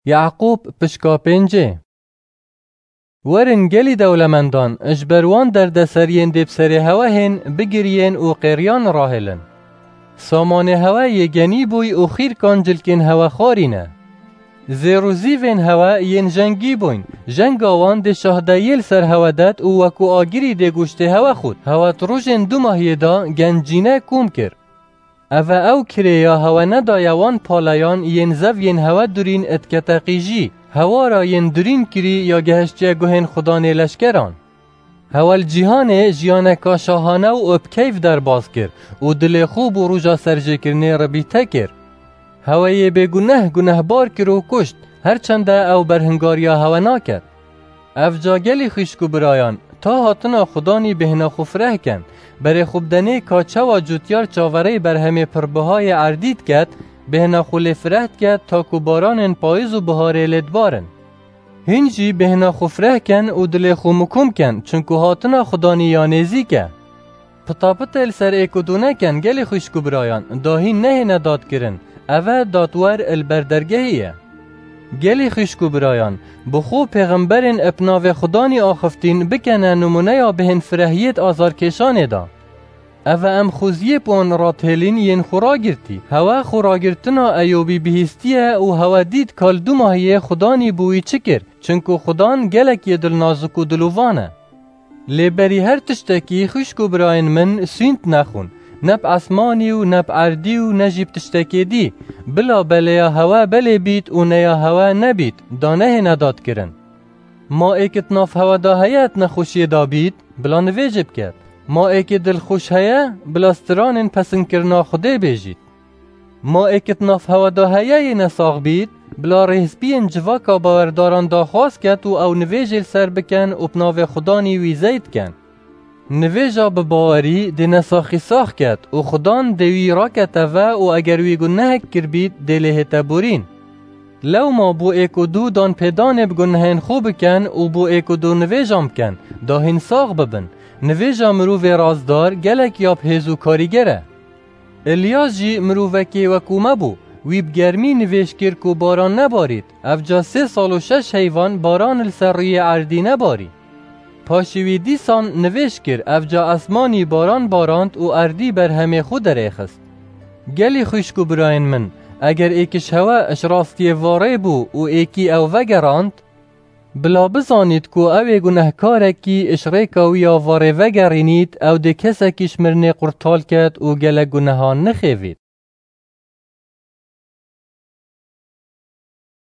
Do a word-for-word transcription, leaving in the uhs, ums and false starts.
Yaqûb pişka pêncê. Werin gelî dewlemendan, ji ber wan derdeseriyên dê bi serê hewe hên, bigiriyên û qêriyan rahêlin. Samanê hewe yê genî bûy û xîrkan cilkên hewe xwarîne. Zêr û zîvên hewe yên jengî bûyn, jenga wan dê şahdeyiyê li ser hewe det û wekû agirî dê goştê hewe xût. Hewe di rojên dumahiyê de gencîne kom kir. Eve ew kirêya hewe nedaye wan paleyan yên zeviyên hewe durîn dikete qîjî, hewara yên durîn kirî ya gehiştiye guhên xudanê leşkeran. Hewe li cîhanê jiyaneka şahane û bi keyf derbas kir û dilê xwe bo roja serjêkirinê ribîte kir. Hewe yê bêguneh gunehbar kir û kuşt, her çende ew berhingariya hewe naket. Ev ca gelî xwişk û birayan, ta hatina xudanî bêhna xwe fireh ken. Berê xwe bidenê ka çawa cûtyar çaverê berhemê pirbiha yê erdî diket, bêhna xwe lê fireh diket ta ku baranên payîz û biharê lê dibarin. Hîn jî bêhna xwe fireh ken û dilê xwe mikum ken, çinku hatina xudanî ya nêzîk e. Pitapitê li ser êk û du neken gelî xwişk û birayan, dahîn nehêne dadkirin, eve dadwer li ber dergehî ye. Gelî xwişk û birayan, bi xwe pêxemberên bi navê xudanî axiftîn bikene nimûneya bihên firehiyêt azarkêşanê de. Eve em xweziyê bi wan radhêlîn yên xwe ragirtî. Hewe xwe ragirtina Eyûbî bihîstiye û hewe dît ka li dumahiyê xudanî bi wî çi kir, çinku xudan gelek yê dilnazik û dilovan e. Lê berî her tiştekî xwişk û birayên min sûnt nexwin, ne bi esmanî û ne bi erdî û ne jî bi tiştekê dî, bila belêya hewe belê bît û neya hewe nebît, da nehêne dadkirin. Ma êk di nav hewe de heye di nexweşiyê de bît, bila nivêjê biket. Ma êkê dilxweş heye, bila stranên pesinkirina Xwedê bêjît. Ma êk di nav hewe de heye yê nesax bît, bila rêhspiyên civaka bawerdaran daxwaz ket û ew nivêjê li ser biken û bi navê xudanî wî zeyt ken. Nivêja bi bawerî dê nesaxî sax ket û xudan dê wî rakete ve û eger wî gunehek kiribît, dê lê hête borîn. Lewma bo êk û du dan pêdanê bi gunehên xwe biken û bo êk û du nivêjan biken, da hîn sax bibin. Nivêja mirovê razdar gelek ya bi hêz û karîger e. Îlyas jî mirovekê wekû me bû. Wî bi germî nivêj kir ku baran nebarît. Evca sê sal û şeş heyvan baran li ser rûyê erdî nebarî. Paşî wî dîsan nivêj kir, evca esmanî baran barand û erdî berhemê xwe derêxist. Gelî xwişk û birayên min, eger êk ji hewe ji rastiyê varê bû û êkî ew vegerand, bila bizanît ku ew ê gunehkarekî ji rêka wî ya varê vegerînît, ew dê kesekî ji mirinê qurtal ket û gelek gunehan nixêvît.